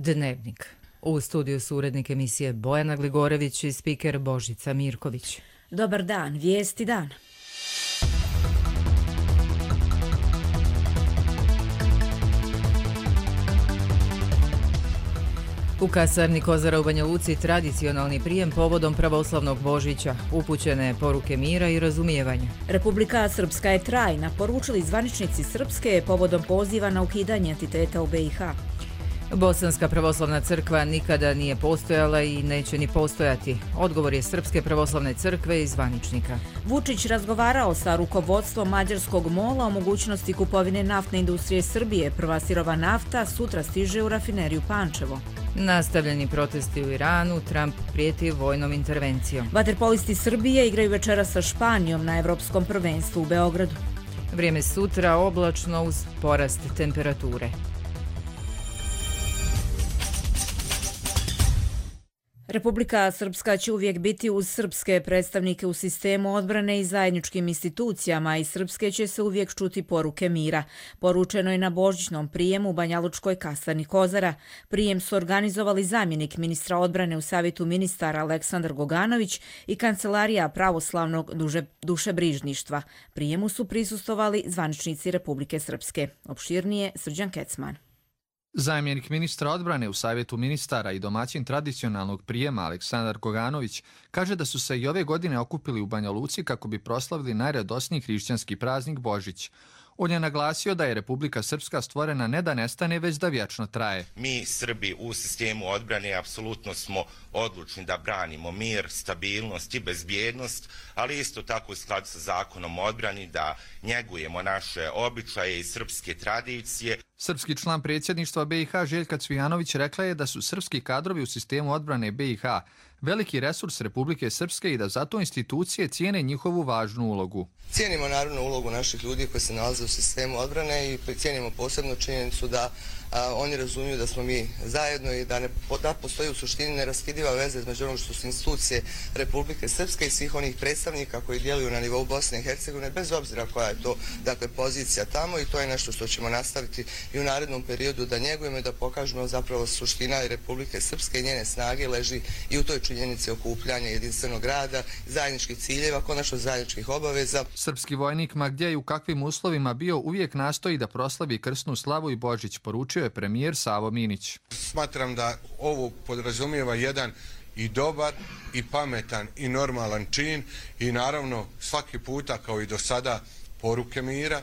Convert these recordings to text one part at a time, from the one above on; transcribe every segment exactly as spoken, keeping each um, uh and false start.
Dnevnik. U studiju su urednik emisije Bojana Gligorević i spiker Božica Mirković. Dobar dan, vijesti dana. U kasarni Kozara u Banja Luci tradicionalni prijem povodom pravoslavnog Božića, upućene poruke mira i razumijevanja. Republika Srpska je trajna, poručili zvaničnici Srpske povodom poziva na ukidanje entiteta u B i H. Bosanska pravoslavna crkva nikada nije postojala i neće ni postojati. Odgovor je Srpske pravoslavne crkve i zvaničnika. Vučić razgovarao sa rukovodstvom mađarskog mola o mogućnosti kupovine naftne industrije Srbije. Prva sirova nafta sutra stiže u rafineriju Pančevo. Nastavljeni protesti u Iranu, Trump prijeti vojnom intervencijom. Vaterpolisti Srbije igraju večera sa Španijom na Evropskom prvenstvu u Beogradu. Vrijeme sutra oblačno uz porast temperature. Republika Srpska će uvijek biti uz srpske predstavnike u sistemu odbrane i zajedničkim institucijama i srpske će se uvijek čuti poruke mira. Poručeno je na božićnom prijemu u banjalučkoj kasarni Kozara. Prijem su organizovali zamjenik ministra odbrane u Savjetu ministara Aleksandar Goganović i Kancelarija pravoslavnog duže, dušebrižništva. Prijemu su prisustovali zvaničnici Republike Srpske. Opširnije Srđan Kecman. Zamjenik ministra odbrane u Savjetu ministara i domaćin tradicionalnog prijema Aleksandar Goganović kaže da su se i ove godine okupili u Banja Luci kako bi proslavili najradosniji hrišćanski praznik Božić. On je naglasio da je Republika Srpska stvorena ne da nestane, već da vječno traje. Mi, Srbi, u sistemu odbrane apsolutno smo odlučni da branimo mir, stabilnost i bezbjednost, ali isto tako u skladu sa zakonom o odbrani da njegujemo naše običaje i srpske tradicije. Srpski član predsjedništva B i H Željka Cvijanović rekla je da su srpski kadrovi u sistemu odbrane B i H veliki resurs Republike Srpske i da zato institucije cijene njihovu važnu ulogu. Cijenimo naravno ulogu naših ljudi koji se nalaze u sistemu odbrane i cijenimo posebno činjenicu da a, oni razumiju da smo mi zajedno i da, ne, da postoji u suštini neraskidiva veza između onog što su institucije Republike Srpske i svih onih predstavnika koji djeluju na nivou Bosne i Hercegovine, bez obzira koja je to dakle, pozicija tamo, i to je nešto što ćemo nastaviti i u narednom periodu da njegujemo i da pokažemo zapravo suština i Republike Srpske i njene snage leži i u toj činjenici okupljanja jedinstvenog rada, zajedničkih ciljeva, konačno zajedničkih obaveza. Srpski vojnik ma gdje i u kakvim uslovima bio uvijek nastoji da proslavi krsnu slavu i Božić, poručio je premijer Savo Minić. Smatram da ovo podrazumijeva jedan i dobar i pametan i normalan čin i naravno svaki puta kao i do sada poruke mira.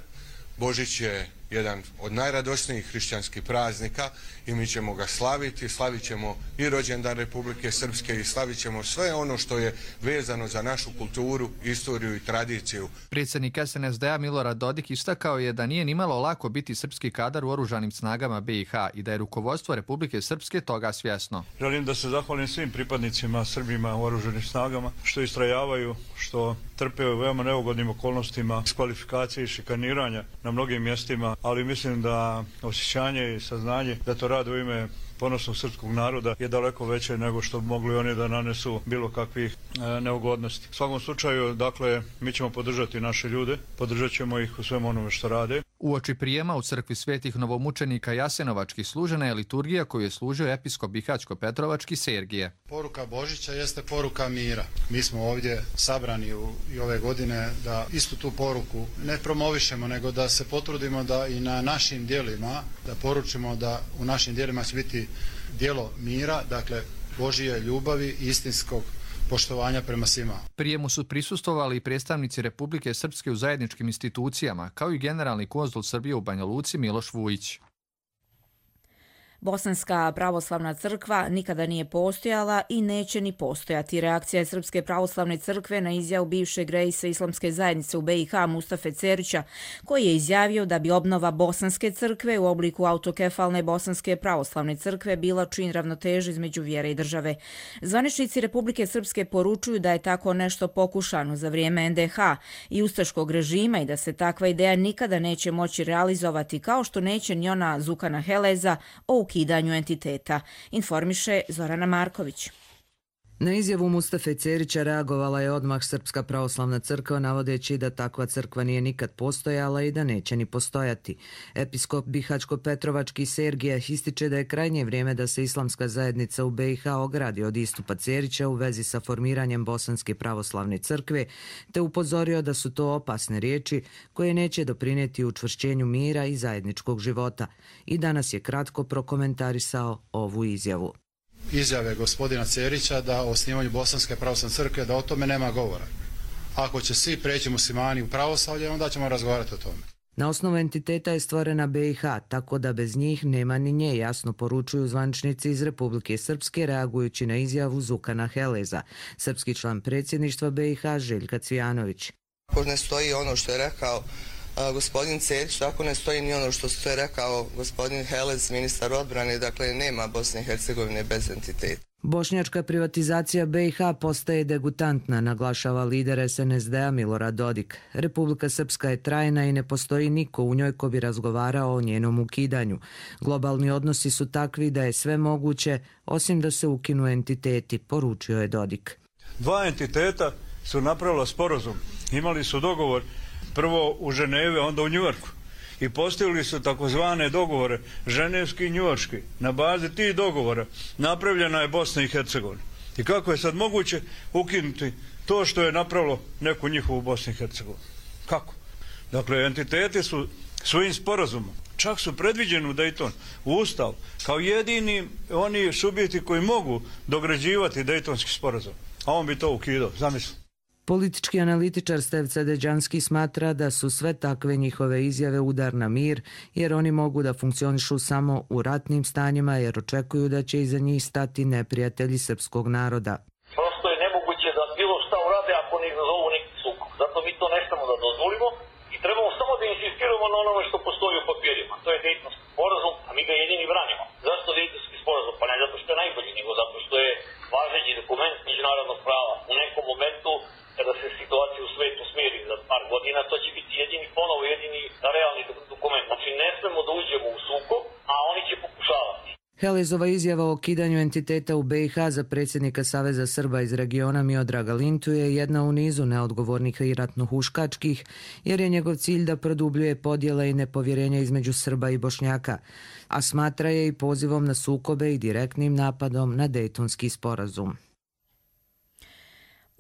Božić je jedan od najradosnijih hrišćanskih praznika i mi ćemo ga slaviti, slavit ćemo i rođendan Republike Srpske i slavit ćemo sve ono što je vezano za našu kulturu, istoriju i tradiciju. Predsjednik S N S D-a Milorad Dodik istakao je da nije nimalo lako biti srpski kadar u oružanim snagama B i H i da je rukovodstvo Republike Srpske toga svjesno. Želim da se zahvalim svim pripadnicima Srbima u oružanim snagama što istrajavaju, što trpe u veoma neugodnim okolnostima diskvalifikacije i šikaniranja na mnogim mjestima, ali mislim da osjećanje i saznanje da to rade u ime ponosnog srpskog naroda je daleko veće nego što bi mogli oni da nanesu bilo kakvih e, neugodnosti. U svakom slučaju, dakle, mi ćemo podržati naše ljude, podržat ćemo ih u svemu onome što rade. Uoči prijema u crkvi svetih novomučenika Jasenovačkih služena je liturgija koju je služio episkop Bihaćko-Petrovački Sergije. Poruka Božića jeste poruka mira. Mi smo ovdje sabrani u, i ove godine da istu tu poruku ne promovišemo, nego da se potrudimo da i na našim djelima, da poručimo da u našim djelima će biti djelo mira, dakle Božije ljubavi, istinskog poštovanja prema svima. Prijemu su prisustvovali i predstavnici Republike Srpske u zajedničkim institucijama, kao i generalni konzul Srbije u Banja Luci Miloš Vujić. Bosanska pravoslavna crkva nikada nije postojala i neće ni postojati. Reakcija je Srpske pravoslavne crkve na izjavu bivšeg reisa Islamske zajednice u B i H Mustafe Cerića, koji je izjavio da bi obnova Bosanske crkve u obliku autokefalne Bosanske pravoslavne crkve bila čin ravnoteže između vjere i države. Zvaničnici Republike Srpske poručuju da je tako nešto pokušano za vrijeme N D H i ustaškog režima i da se takva ideja nikada neće moći realizovati, kao što neće ni ona Zukana Heleza o ukidanju entiteta, informiše Zorana Marković. Na izjavu Mustafe Cerića reagovala je odmah Srpska pravoslavna crkva, navodeći da takva crkva nije nikad postojala i da neće ni postojati. Episkop Bihačko-Petrovački Sergija ističe da je krajnje vrijeme da se islamska zajednica u be i ha ogradi od istupa Cerića u vezi sa formiranjem Bosanske pravoslavne crkve, te upozorio da su to opasne riječi koje neće doprinijeti učvršćenju mira i zajedničkog života. I danas je kratko prokomentarisao ovu izjavu. Izjave gospodina Cerića da o osnivanju Bosanske pravoslavne crkve, da o tome nema govora. Ako će svi preći muslimani u pravoslavlje, onda ćemo razgovarati o tome. Na osnovu entiteta je stvorena be i ha, tako da bez njih nema ni nje, jasno poručuju zvaničnici iz Republike Srpske, reagujući na izjavu Zukana Heleza, srpski član predsjedništva be i ha Željka Cvijanović. Ako ne stoji ono što je rekao a, gospodin Cerić, tako ne stoji ni ono što je rekao gospodin Helez, ministar odbrane, dakle nema Bosne i Hercegovine bez entiteta. Bošnjačka privatizacija be i ha postaje degutantna, naglašava lider es en es de a Milorad Dodik. Republika Srpska je trajna i ne postoji niko u njoj ko bi razgovarao o njenom ukidanju. Globalni odnosi su takvi da je sve moguće, osim da se ukinu entiteti, poručio je Dodik. Dva entiteta su napravila sporazum. Imali su dogovor prvo u Ženevi, onda u Njujorku. I postavili su takozvane dogovore, ženevski i njujorški. Na bazi tih dogovora napravljena je Bosna i Hercegovina. I kako je sad moguće ukinuti to što je napravilo neku njihovu Bosnu i Hercegovinu? Kako? Dakle, entiteti su svojim sporazumom, čak su predviđeni u Dayton, u Ustav, kao jedini oni subjekti koji mogu dograđivati Daytonski sporazum. A on bi to ukidao, zamisli. Politički analitičar Stevca Deđanski smatra da su sve takve njihove izjave udar na mir, jer oni mogu da funkcionišu samo u ratnim stanjima, jer očekuju da će iza njih stati neprijatelji srpskog naroda. Prosto je nemoguće da bilo šta urade ako ne izazovu neki sukob. Zato mi to ne smemo da dozvolimo i trebamo samo da insistiramo na onome što postoji u papirima. To je Dejtonski sporazum, a mi ga jedini branimo. Zašto Dejtonski sporazum? Pa ne zato što je najbolji, nego zato što je važeći dokument međunarodnog prava. U nekom momentu kada se situacija u svetu smiri za par godina, to će biti jedini, ponovo jedini realni dokument. Znači ne smemo da uđemo u sukob, a oni će pokušavati. Helezova izjava o ukidanju entiteta u be i ha za predsjednika Saveza Srba iz regiona Miodraga Lintu je jedna u nizu neodgovornih i ratnohuškačkih, jer je njegov cilj da produbljuje podjele i nepovjerenja između Srba i Bošnjaka, a smatra je i pozivom na sukobe i direktnim napadom na Dejtonski sporazum.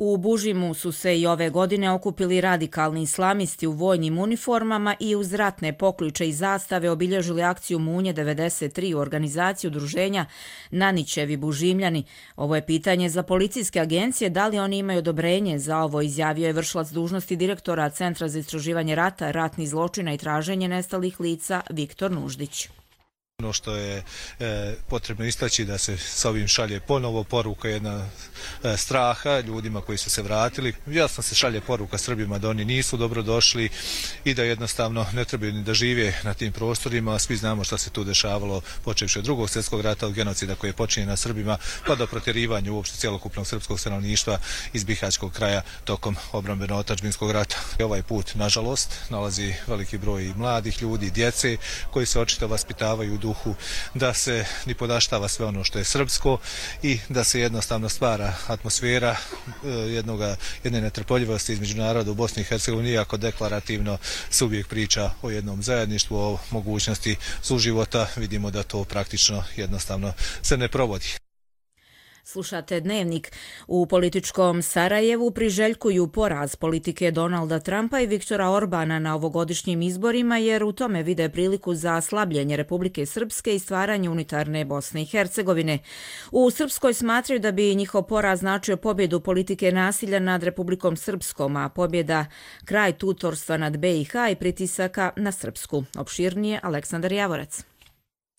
U Bužimu su se i ove godine okupili radikalni islamisti u vojnim uniformama i uz ratne pokliče i zastave obilježili akciju Munje devedeset tri u organizaciji udruženja Nanićevi Bužimljani. Ovo je pitanje za policijske agencije, da li oni imaju odobrenje za ovo, izjavio je vršilac dužnosti direktora Centra za istraživanje rata, ratnih zločina i traženje nestalih lica Viktor Nuždić. Ono što je e, potrebno istaći da se s ovim šalje ponovo poruka jedna e, straha ljudima koji su se vratili. Jasno se šalje poruka Srbima da oni nisu dobro došli i da jednostavno ne trebaju ni da žive na tim prostorima. Svi znamo šta se tu dešavalo počevši od drugog svjetskog rata, od genocida koji je počinjen na Srbima, pa do protjerivanja uopšte cjelokupnog srpskog stanovništva iz Bihaćkog kraja tokom obrambeno-otadžbinskog rata. I ovaj put, nažalost, nalazi veliki broj mladih ljudi, djece koji se očito vaspitavaju u duhu da se ni podaštava sve ono što je srpsko i da se jednostavno stvara atmosfera jednoga, jedne netrpeljivosti između naroda u Bosni i Hercegovini, iako deklarativno se uvijek priča o jednom zajedništvu, o mogućnosti suživota, vidimo da to praktično jednostavno se ne provodi. Slušate Dnevnik. U političkom Sarajevu priželjkuju poraz politike Donalda Trumpa i Viktora Orbana na ovogodišnjim izborima, jer u tome vide priliku za slabljenje Republike Srpske i stvaranje unitarne Bosne i Hercegovine. U Srpskoj smatraju da bi njihov poraz značio pobjedu politike nasilja nad Republikom Srpskom, a pobjeda kraj tutorstva nad be i ha i pritisaka na Srpsku. Opširnije Aleksandar Javorac.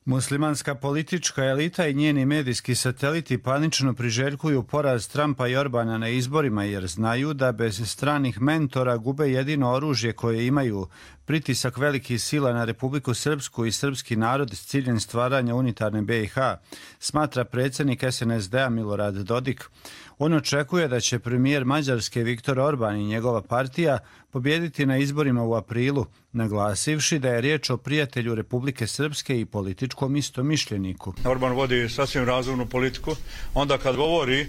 Muslimanska politička elita i njeni medijski sateliti panično priželjkuju poraz Trumpa i Orbana na izborima, jer znaju da bez stranih mentora gube jedino oružje koje imaju, pritisak velikih sila na Republiku Srpsku i srpski narod s ciljem stvaranja unitarne be i ha, smatra predsjednik es en es de a Milorad Dodik. On očekuje da će premijer Mađarske Viktor Orban i njegova partija pobijediti na izborima u aprilu, naglasivši da je riječ o prijatelju Republike Srpske i političkom istomišljeniku. Orban vodi sasvim razumnu politiku. Onda kad govori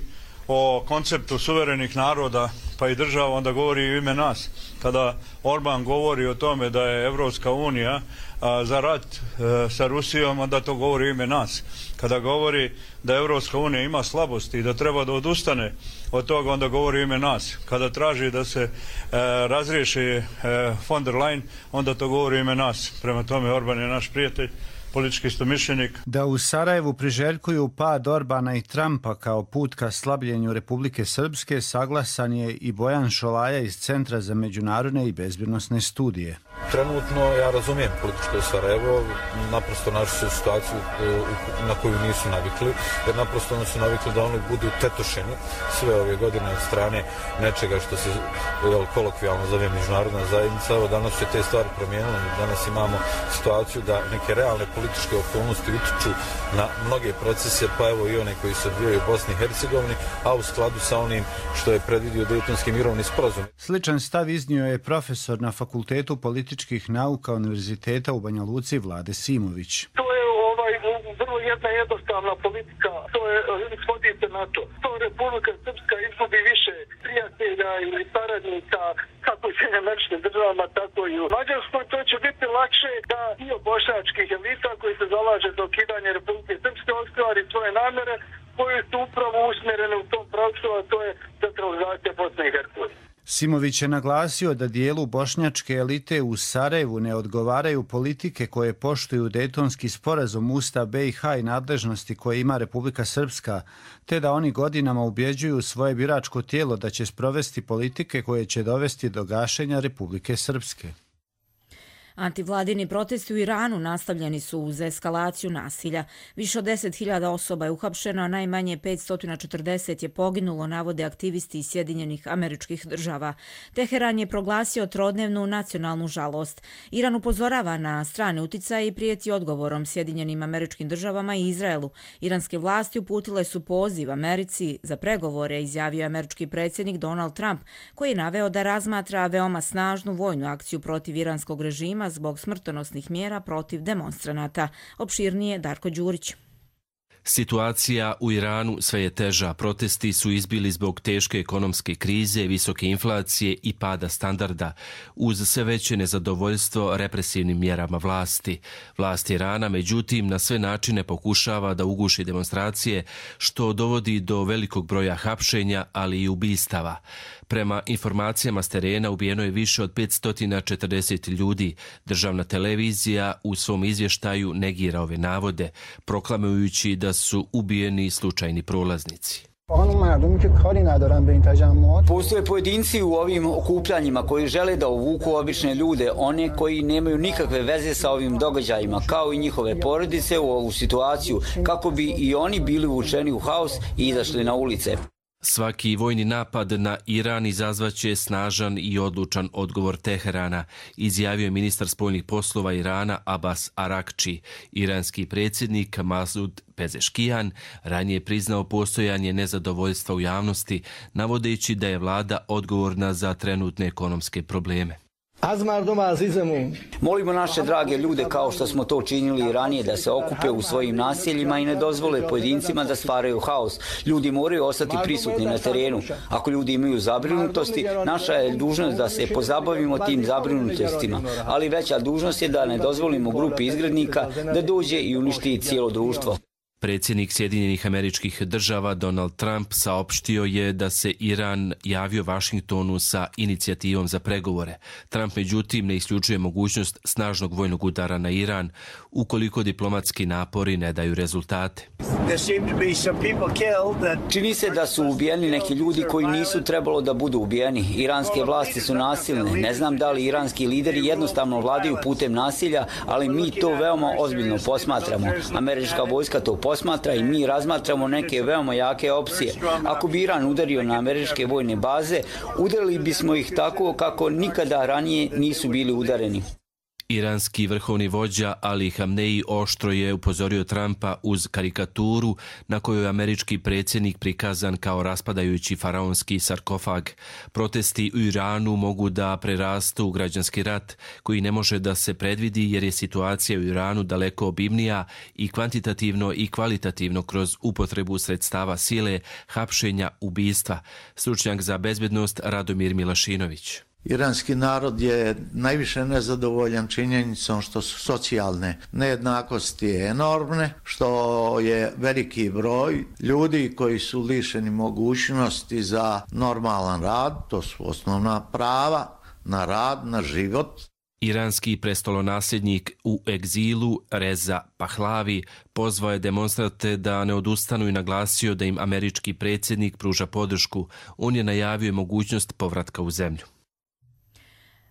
o konceptu suverenih naroda pa i država, onda govori u ime nas. Kada Orban govori o tome da je Evropska unija a, za rat a, sa Rusijom, onda to govori u ime nas. Kada govori da Evropska unija ima slabosti i da treba da odustane od toga, onda govori u ime nas. Kada traži da se a, razriješi a, von der Leyen, onda to govori u ime nas. Prema tome, Orban je naš prijatelj, politički istomišljenik. Da u Sarajevu priželjkuju pad Orbana i Trumpa kao put ka slabljenju Republike Srpske, saglasan je i Bojan Šolaja iz Centra za međunarodne i bezbjednosne studije. Trenutno ja razumijem političko Sarajevo, naprosto našu su situaciju na koju nisu navikli, jer naprosto oni su navikli da oni budu tetošeni sve ove godine od strane nečega što se jel, kolokvijalno zove međunarodna zajednica. Evo danas se te stvari promijenile, danas imamo situaciju da neke realne političke okolnosti utiču na mnoge procese, pa evo i one koji se odvijaju u Bosni i Hercegovini, a u skladu sa onim što je predvidio Dejtonski mirovni sporazum. Sličan stav iznio je profesor na Fakultetu političkih nauka Univerziteta u Banja Luci Vlade Simović. To je ovaj, vrlo jedna jednostavna politika, to je, svodite na to. To Republika Srpska izgubi više prijatelja ili saradnika, kako u Sjedinjenim Američkim Državama, tako i u Mađarskoj. To će biti lakše da dio bošnjačkih elita koji se zalaže za ukidanje Republike Srpske ostvari svoje namere koje su upravo usmjerene u tom pravcu, a to je centralizacija Bosne i Hercegovine. Simović je naglasio da dijelu bošnjačke elite u Sarajevu ne odgovaraju politike koje poštuju Dejtonski sporazum, Ustav B i H i nadležnosti koje ima Republika Srpska, te da oni godinama ubjeđuju svoje biračko tijelo da će sprovesti politike koje će dovesti do gašenja Republike Srpske. Antivladini protesti u Iranu nastavljeni su uz eskalaciju nasilja. Više od deset hiljada osoba je uhapšeno, a najmanje petsto četrdeset je poginulo, navode aktivisti iz Sjedinjenih Američkih Država. Teheran je proglasio trodnevnu nacionalnu žalost. Iran upozorava na strane uticaje i prijeti odgovorom Sjedinjenim Američkim Državama i Izraelu. Iranske vlasti uputile su poziv Americi za pregovore, izjavio američki predsjednik Donald Trump, koji je naveo da razmatra veoma snažnu vojnu akciju protiv iranskog režima zbog smrtonosnih mjera protiv demonstranata. Opširnije Darko Đurić. Situacija u Iranu sve je teža. Protesti su izbili zbog teške ekonomske krize, visoke inflacije i pada standarda, uz sve veće nezadovoljstvo represivnim mjerama vlasti. Vlast Irana, međutim, na sve načine pokušava da uguši demonstracije, što dovodi do velikog broja hapšenja, ali i ubistava. Prema informacijama s terena ubijeno je više od petsto četrdeset ljudi. Državna televizija u svom izvještaju negira ove navode, proklamujući da su ubijeni slučajni prolaznici. Postoje pojedinci u ovim okupljanjima koji žele da uvuku obične ljude, one koji nemaju nikakve veze sa ovim događajima, kao i njihove porodice u ovu situaciju, kako bi i oni bili uvučeni u haos i izašli na ulice. Svaki vojni napad na Iran izazvaće snažan i odlučan odgovor Teherana, izjavio je ministar spoljnih poslova Irana Abbas Arakči. Iranski predsjednik Masud Pezeškijan ranije priznao postojanje nezadovoljstva u javnosti, navodeći da je vlada odgovorna za trenutne ekonomske probleme. Molimo naše drage ljude, kao što smo to činili i ranije, da se okupe u svojim naseljima i ne dozvole pojedincima da stvaraju haos. Ljudi moraju ostati prisutni na terenu. Ako ljudi imaju zabrinutosti, naša je dužnost da se pozabavimo tim zabrinutostima, ali veća dužnost je da ne dozvolimo grupi izgrednika da dođe i uništi cijelo društvo. Predsjednik Sjedinjenih Američkih Država Donald Trump saopštio je da se Iran javio Vašingtonu sa inicijativom za pregovore. Trump međutim ne isključuje mogućnost snažnog vojnog udara na Iran ukoliko diplomatski napori ne daju rezultate. Čini se da su ubijeni neki ljudi koji nisu trebalo da budu ubijeni. Iranske vlasti su nasilne. Ne znam da li iranski lideri jednostavno vladaju putem nasilja, ali mi to veoma ozbiljno posmatramo. Američka vojska to posmatra i mi razmatramo neke veoma jake opcije. Ako bi Iran udario na američke vojne baze, udarili bismo ih tako kako nikada ranije nisu bili udareni. Iranski vrhovni vođa Ali Hamneji oštro je upozorio Trumpa uz karikaturu na kojoj je američki predsjednik prikazan kao raspadajući faraonski sarkofag. Protesti u Iranu mogu da prerastu u građanski rat koji ne može da se predvidi jer je situacija u Iranu daleko obimnija i kvantitativno i kvalitativno kroz upotrebu sredstava sile, hapšenja, ubistva. Stručnjak za bezbednost Radomir Milašinović. Iranski narod je najviše nezadovoljan činjenicom što su socijalne nejednakosti enormne, što je veliki broj ljudi koji su lišeni mogućnosti za normalan rad, to su osnovna prava na rad, na život. Iranski prestolonasljednik u egzilu Reza Pahlavi pozvao je demonstrante da ne odustanu i naglasio da im američki predsjednik pruža podršku. On je najavio mogućnost povratka u zemlju.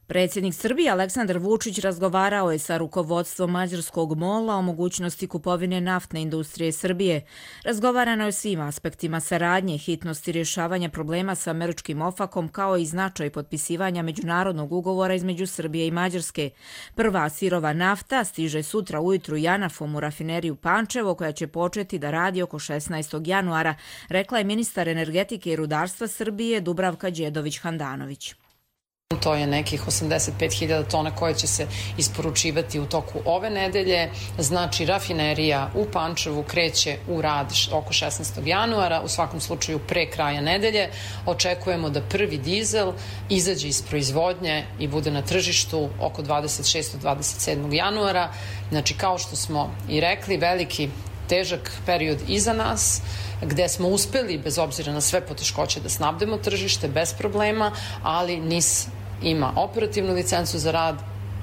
Predsjednik Srbije Aleksandar Vučić razgovarao je sa rukovodstvom mađarskog mola o mogućnosti kupovine naftne industrije Srbije. Razgovarano je o svim aspektima saradnje, hitnosti rješavanja problema sa američkim ofakom kao i značaj potpisivanja međunarodnog ugovora između Srbije i Mađarske. Prva sirova nafta stiže sutra ujutru Janafom u rafineriju Pančevo koja će početi da radi oko šesnaestog januara, rekla je ministar energetike i rudarstva Srbije Dubravka Đedović-Handanović. To je nekih osamdeset pet hiljada tona koje će se isporučivati u toku ove nedelje. Znači, rafinerija u Pančevu kreće u rad oko šesnaestog januara, u svakom slučaju pre kraja nedelje. Očekujemo da prvi dizel izađe iz proizvodnje i bude na tržištu oko dvadeset šestog do dvadeset sedmog januara. Znači, kao što smo i rekli, veliki težak period iza nas, gde smo uspeli, bez obzira na sve poteškoće, da snabdemo tržište bez problema, ali N I S ima operativnu licencu za rad,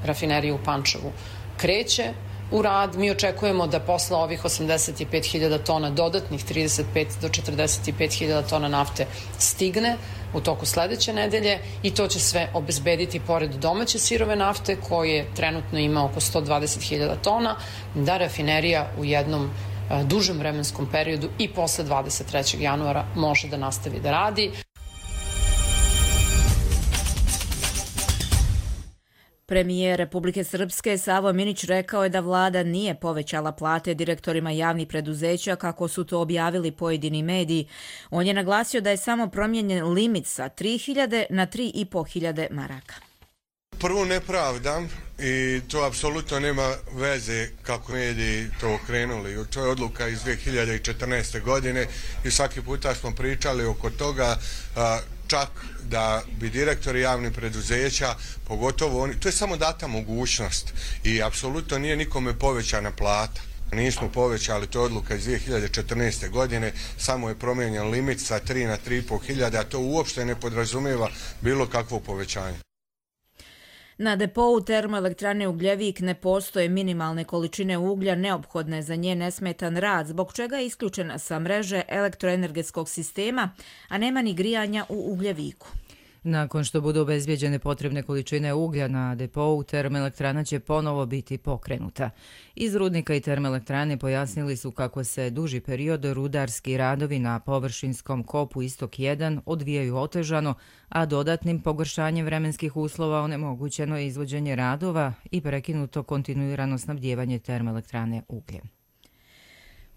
rafinerija u Pančevu kreće u rad. Mi očekujemo da posle ovih osamdeset pet hiljada tona dodatnih trideset pet do četrdeset pet hiljada tona nafte stigne u toku sledeće nedelje i to će sve obezbediti, pored domaće sirove nafte koje trenutno ima oko sto dvadeset hiljada tona, da rafinerija u jednom dužem vremenskom periodu i posle dvadeset trećeg januara može da nastavi da radi. Premijer Republike Srpske Savo Minić rekao je da vlada nije povećala plate direktorima javnih preduzeća kako su to objavili pojedini mediji. On je naglasio da je samo promijenjen limit sa tri hiljade na tri i po hiljade maraka. Prvo ne pravdam i to apsolutno nema veze kako mediji to okrenuli. To je odluka iz dvije hiljade četrnaeste. godine i svaki puta smo pričali oko toga, čak da bi direktori javnih preduzeća, pogotovo oni, to je samo data mogućnost i apsolutno nije nikome povećana plata. Nismo povećali, to je odluka iz dvije hiljade četrnaeste. godine, samo je promijenjen limit sa tri na tri i po hiljade, a to uopšte ne podrazumijeva bilo kakvo povećanje. Na depou termoelektrane Ugljevik ne postoje minimalne količine uglja neophodne za njen nesmetan rad, zbog čega je isključena sa mreže elektroenergetskog sistema, a nema ni grijanja u Ugljeviku. Nakon što budu obezbijeđene potrebne količine uglja na depou, termoelektrana će ponovo biti pokrenuta. Iz rudnika i termoelektrane pojasnili su kako se duži period rudarski radovi na površinskom kopu Istok jedan odvijaju otežano, a dodatnim pogoršanjem vremenskih uslova onemogućeno je izvođenje radova i prekinuto kontinuirano snabdijevanje termoelektrane ugljem.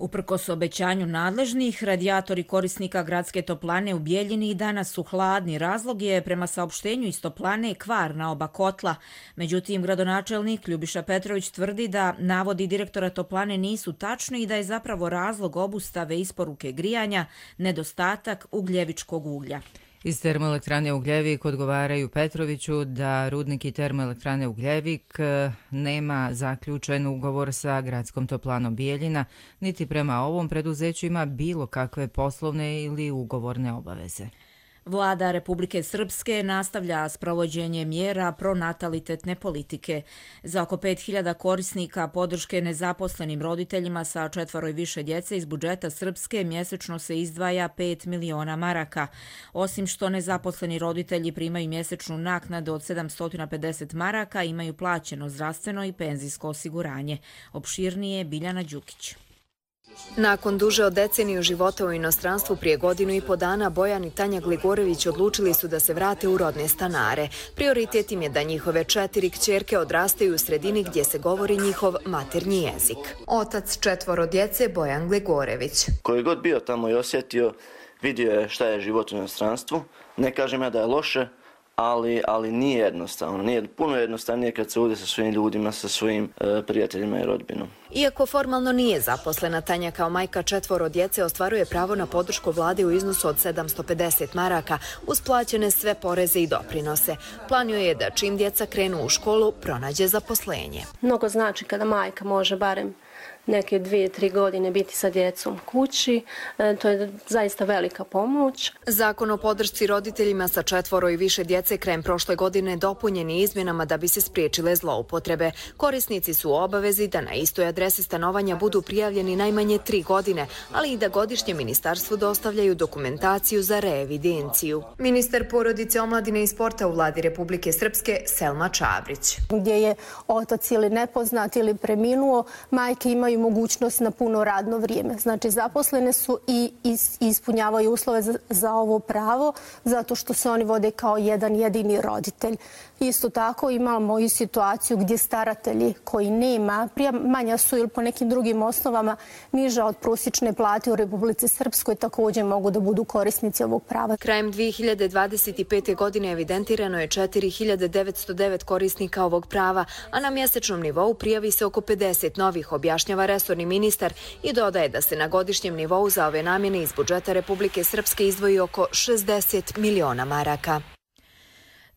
Uprkos obećanju nadležnih, radijatori korisnika gradske toplane u Bijeljini i danas su hladni. Razlog je, prema saopštenju iz toplane, kvar na oba kotla. Međutim, gradonačelnik Ljubiša Petrović tvrdi da navodi direktora toplane nisu tačni i da je zapravo razlog obustave isporuke grijanja nedostatak ugljevičkog uglja. Iz termoelektrane Ugljevik odgovaraju Petroviću da rudnik i termoelektrane Ugljevik nema zaključen ugovor sa gradskom toplanom Bijeljina, niti prema ovom preduzeću ima bilo kakve poslovne ili ugovorne obaveze. Vlada Republike Srpske nastavlja sprovođenje mjera pronatalitetne politike. Za oko pet hiljada korisnika podrške nezaposlenim roditeljima sa četvoro i više djece iz budžeta Srpske mjesečno se izdvaja pet miliona maraka. Osim što nezaposleni roditelji primaju mjesečnu naknadu od sedamsto pedeset maraka, imaju plaćeno zdravstveno i penzijsko osiguranje. Opširnije Biljana Đukić. Nakon duže od deceniju života u inostranstvu prije godinu i po dana, Bojan i Tanja Gligorević odlučili su da se vrate u rodne stanare. Prioritet im je da njihove četiri kćerke odrastaju u sredini gdje se govori njihov maternji jezik. Otac četvoro djece, Bojan Gligorević. Koji god bio tamo i osjetio, vidio je šta je život u inostranstvu. Ne kažem ja da je loše, ali, ali nije jednostavno. Nije puno jednostavnije kad se ude sa svojim ljudima, sa svojim e, prijateljima i rodbinom. Iako formalno nije zaposlena, Tanja kao majka četvoro djece ostvaruje pravo na podršku vlade u iznosu od sedamsto pedeset maraka, uz plaćene sve poreze i doprinose. Plan joj je da čim djeca krenu u školu, pronađe zaposlenje. Mnogo znači kada majka može barem neke dvije, tri godine biti sa djecom kući. E, to je zaista velika pomoć. Zakon o podršci roditeljima sa četvoro i više djece krajem prošle godine dopunjen je izmjenama da bi se spriječile zloupotrebe. Korisnici su u obavezi da na istoj adresi stanovanja budu prijavljeni najmanje tri godine, ali i da godišnje ministarstvu dostavljaju dokumentaciju za reevidenciju. Ministar porodice, omladine i sporta u vladi Republike Srpske, Selma Čabrić. Gdje je otac ili nepoznat ili preminuo, majke imaju mogućnost na puno radno vrijeme. Znači, zaposlene su i ispunjavaju uslove za, za ovo pravo, zato što se oni vode kao jedan jedini roditelj. Isto tako imamo i situaciju gdje staratelji koji nema, manja su ili po nekim drugim osnovama niža od prosječne plate u Republici Srpskoj, također mogu da budu korisnici ovog prava. Krajem dvije hiljade dvadeset pete. godine evidentirano je četiri hiljade devetsto devet korisnika ovog prava, a na mjesečnom nivou prijavi se oko pedeset novih, objašnjava resorni ministar i dodaje da se na godišnjem nivou za ove namjene iz budžeta Republike Srpske izdvoji oko šezdeset miliona maraka.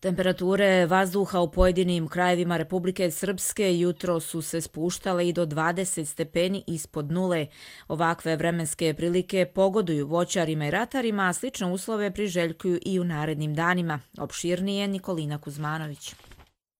Temperature vazduha u pojedinim krajevima Republike Srpske jutro su se spuštale i do dvadeset stepeni ispod nule. Ovakve vremenske prilike pogoduju voćarima i ratarima, a slične uslove priželjkuju i u narednim danima. Opširnije Nikolina Kuzmanović.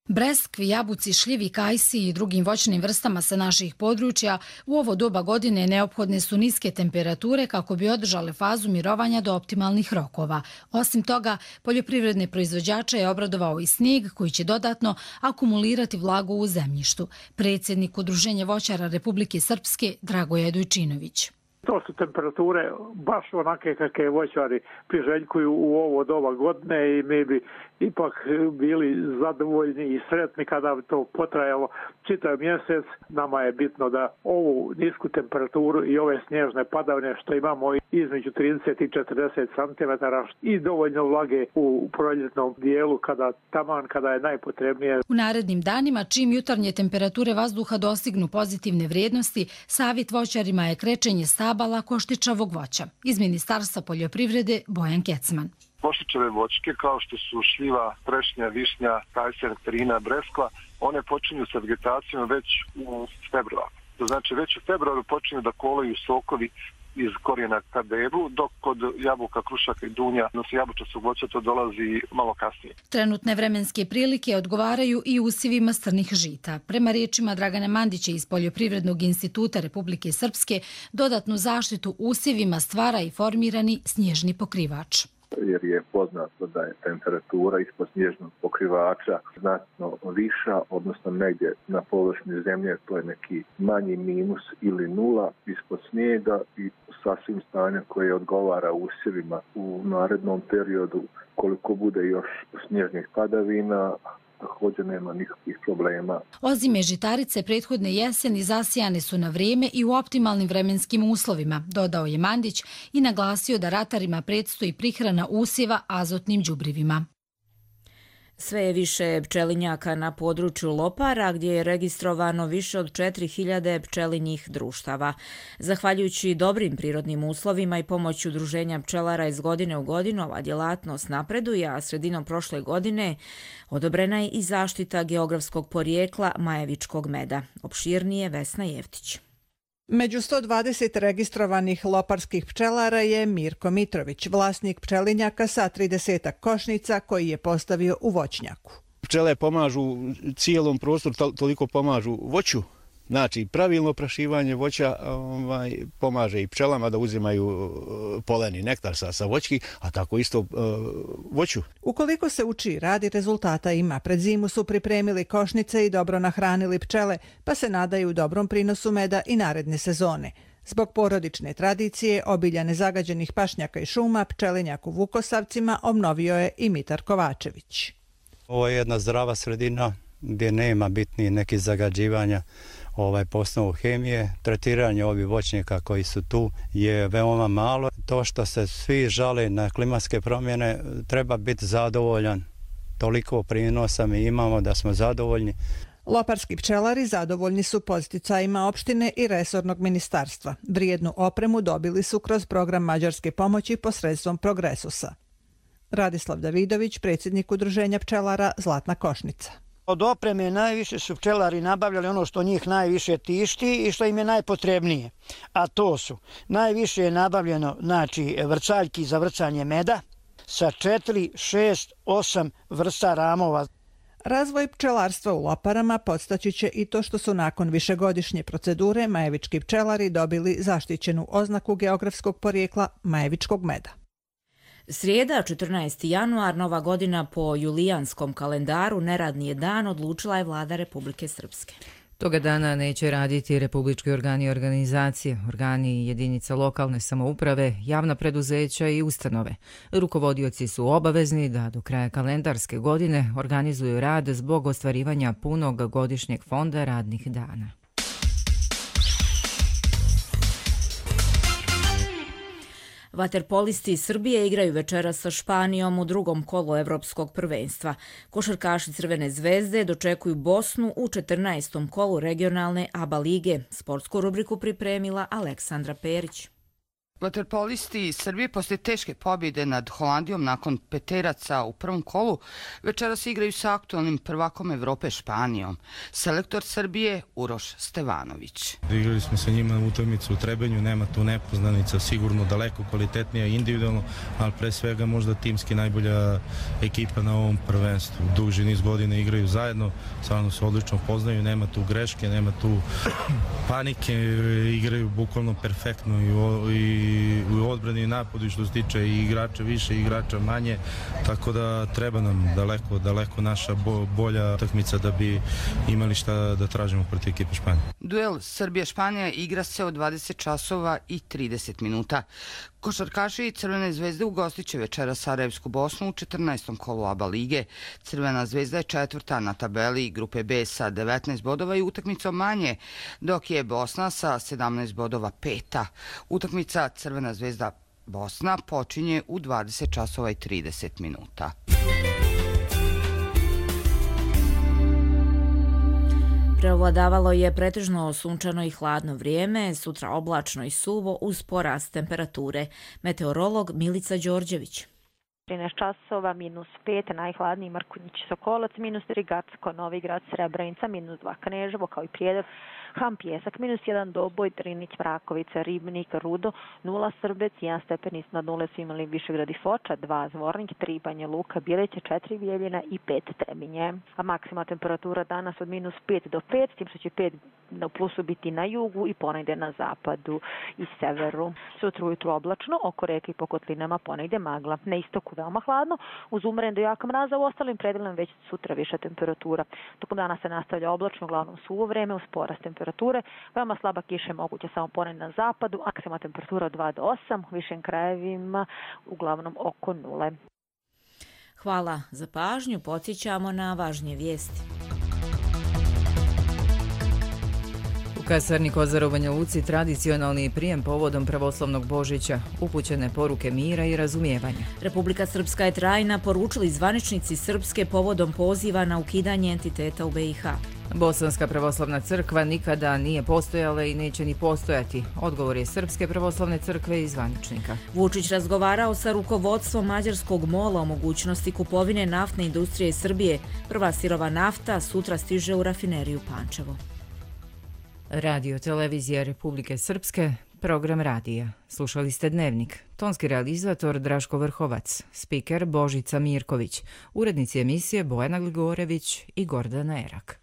Breskvi, jabuci, šljivi, kajsi i drugim voćnim vrstama sa naših područja u ovo doba godine neophodne su niske temperature kako bi održale fazu mirovanja do optimalnih rokova. Osim toga, poljoprivredne proizvođače je obradovao i snijeg koji će dodatno akumulirati vlagu u zemljištu. Predsjednik Udruženja voćara Republike Srpske Dragoje Dujčinović. To su temperature baš onake kakve voćari priželjkuju u ovo doba godine i mi bi ipak bili zadovoljni i sretni kada bi to potrajalo čitav mjesec. Nama je bitno da ovu nisku temperaturu i ove snježne padavine što imamo između trideset i četrdeset centimetara i dovoljno vlage u proljetnom dijelu kada taman kada je najpotrebnije. U narednim danima, čim jutarnje temperature vazduha dostignu pozitivne vrijednosti, savjet voćarima je krečenje stabala koštičavog voća. Iz Ministarstva poljoprivrede Bojan Kecman. Koštičave voćke kao što su šljiva, trešnja, višnja, kajsa, nektarina, breskva, one počinju sa vegetacijom već u februaru. To znači već u februaru počinju da kolaju sokovi iz korijena ka deblu, dok kod jabuka, krušaka i dunja, no se jabučastog voća to dolazi malo kasnije. Trenutne vremenske prilike odgovaraju i usjevima strnih žita. Prema riječima Dragana Mandića iz Poljoprivrednog instituta Republike Srpske, dodatnu zaštitu usjevima stvara i formirani snježni pokrivač. Jer je poznato da je temperatura ispod snježnog pokrivača znatno viša, odnosno negdje na površini zemlje to je neki manji minus ili nula ispod snijega i sasvim stanje koje odgovara usjevima u narednom periodu. Koliko bude još snježnih padavina, također nema nikakvih problema. Ozime žitarice prethodne jeseni zasijane su na vrijeme i u optimalnim vremenskim uslovima, dodao je Mandić i naglasio da ratarima predstoji prihrana usjeva azotnim đubrivima. Sve je više pčelinjaka na području Lopara, gdje je registrovano više od četiri hiljade pčelinjih društava. Zahvaljujući dobrim prirodnim uslovima i pomoću udruženja pčelara iz godine u godinu, ova djelatnost napreduje, a sredinom prošle godine odobrena je i zaštita geografskog porijekla majevičkog meda. Opširnije Vesna Jeftić. Među sto dvadeset registrovanih loparskih pčelara je Mirko Mitrović, vlasnik pčelinjaka sa trideset košnica koji je postavio u voćnjaku. Pčele pomažu cijelom prostoru, toliko pomažu voću. Znači, pravilno oprašivanje voća ovaj, pomaže i pčelama da uzimaju poleni nektar sa, sa voćki, a tako isto uh, voću. Ukoliko se uči, radi rezultata ima. Pred zimu su pripremili košnice i dobro nahranili pčele, pa se nadaju dobrom prinosu meda i naredne sezone. Zbog porodične tradicije, obilja nezagađenih pašnjaka i šuma, pčelinjak u Vukosavcima obnovio je i Mitar Kovačević. Ovo je jedna zdrava sredina gdje nema bitnih nekih zagađivanja ovaj, po osnovu hemije. Tretiranje ovih voćnjaka koji su tu je veoma malo. To što se svi žale na klimatske promjene, treba biti zadovoljan. Toliko prinosa mi imamo da smo zadovoljni. Loparski pčelari zadovoljni su podsticajima opštine i resornog ministarstva. Vrijednu opremu dobili su kroz program mađarske pomoći posredstvom Progresusa. Radislav Davidović, predsjednik udruženja pčelara Zlatna Košnica. Od opreme najviše su pčelari nabavljali ono što njih najviše tišti i što im je najpotrebnije. A to su, najviše je nabavljeno znači, vrcaljki za vrcanje meda sa četiri, šest, osam vrsta ramova. Razvoj pčelarstva u Loparama podstaći će i to što su nakon višegodišnje procedure majevički pčelari dobili zaštićenu oznaku geografskog porijekla majevičkog meda. Srijeda, četrnaesti januar, nova godina po julijanskom kalendaru, neradni je dan, odlučila je vlada Republike Srpske. Toga dana neće raditi republički organi i organizacije, organi jedinica lokalne samouprave, javna preduzeća i ustanove. Rukovodioci su obavezni da do kraja kalendarske godine organizuju rad zbog ostvarivanja punog godišnjeg fonda radnih dana. Vaterpolisti Srbije igraju večeras sa Španijom u drugom kolu evropskog prvenstva. Košarkaši Crvene zvezde dočekuju Bosnu u četrnaestom kolu regionalne A B A lige. Sportsku rubriku pripremila Aleksandra Perić. Vaterpolisti Srbije posle teške pobjede nad Holandijom nakon peteraca u prvom kolu večeras igraju sa aktualnim prvakom Evrope Španijom. Selektor Srbije Uroš Stevanović. Igrali smo sa njima utakmicu u Trebenju, nema tu nepoznanica, sigurno daleko kvalitetnija individualno, ali pre svega možda timski najbolja ekipa na ovom prvenstvu. Duži niz godina igraju zajedno, stvarno se odlično poznaju, nema tu greške, nema tu panike, igraju bukvalno perfektno i, i u odbrani i napadu što se tiče i igrača više i igrača manje, tako da treba nam daleko, daleko naša bo, bolja utakmica da bi imali šta da tražimo protiv ekipe Španije. Duel Srbija-Španija igra se od dvadeset časova i trideset minuta. Košarkaši Crvene zvezde ugostit će večera Sarajevsku Bosnu u četrnaestom kolu A B A lige. Crvena zvezda je četvrta na tabeli grupe B sa devetnaest bodova i utakmicom manje, dok je Bosna sa sedamnaest bodova peta. Utakmica Crvena zvezda Bosna počinje u dvadeset časova i trideset minuta. Preovladavalo je pretežno sunčano i hladno vrijeme, sutra oblačno i suvo uz porast temperature. Meteorolog Milica Đorđević. trinaest časova, minus pet, najhladniji Mrkonjić Sokolac, minus tri Gacko, Novigrad, Srebrenica, minus dva Kneževo, kao i Prijedor, Ham Pjesak, minus jedan Doboj, Drinić, Mrakovica, Ribnik, Rudo, nula Srbec, jedan stepen iznad nule su imali Višegrad i Foča, dva Zvornik, tri Banja Luka, Bjeliće, četiri Bijeljina i pet Trebinje. A maksimalna temperatura danas od minus pet do pet, s tim što će pet na plusu biti na jugu i ponegde na zapadu i severu. Sutra ujutru oblačno, oko reke i po kotlinama ponegde magla. Na istoku veoma hladno, uz umeren do jaka mraza, u ostalim predelima već sutra viša temperatura. Tokom dana se nastavlja oblačno, uglavnom suvo vreme uz porast temperature. Veoma slaba kiša je moguća samo ponegde na zapadu, maksimalna temperatura od dva do osam, u višim krajevima uglavnom oko nule. Hvala za pažnju, podsjećamo na važnije vijesti. U kasarni Kozar u Banja Luci tradicionalni prijem povodom pravoslavnog Božića, upućene poruke mira i razumijevanja. Republika Srpska je trajna, poručili zvaničnici Srpske povodom poziva na ukidanje entiteta u B i H. Bosanska pravoslavna crkva nikada nije postojala i neće ni postojati. Odgovor je Srpske pravoslavne crkve i zvaničnika. Vučić razgovarao sa rukovodstvom mađarskog mola o mogućnosti kupovine naftne industrije Srbije. Prva sirova nafta sutra stiže u rafineriju Pančevo. Radio televizija Republike Srpske, program radija. Slušali ste Dnevnik. Tonski realizator Draško Vrhovac, spiker Božica Mirković, urednici emisije Bojana Gligorević i Gordana Erak.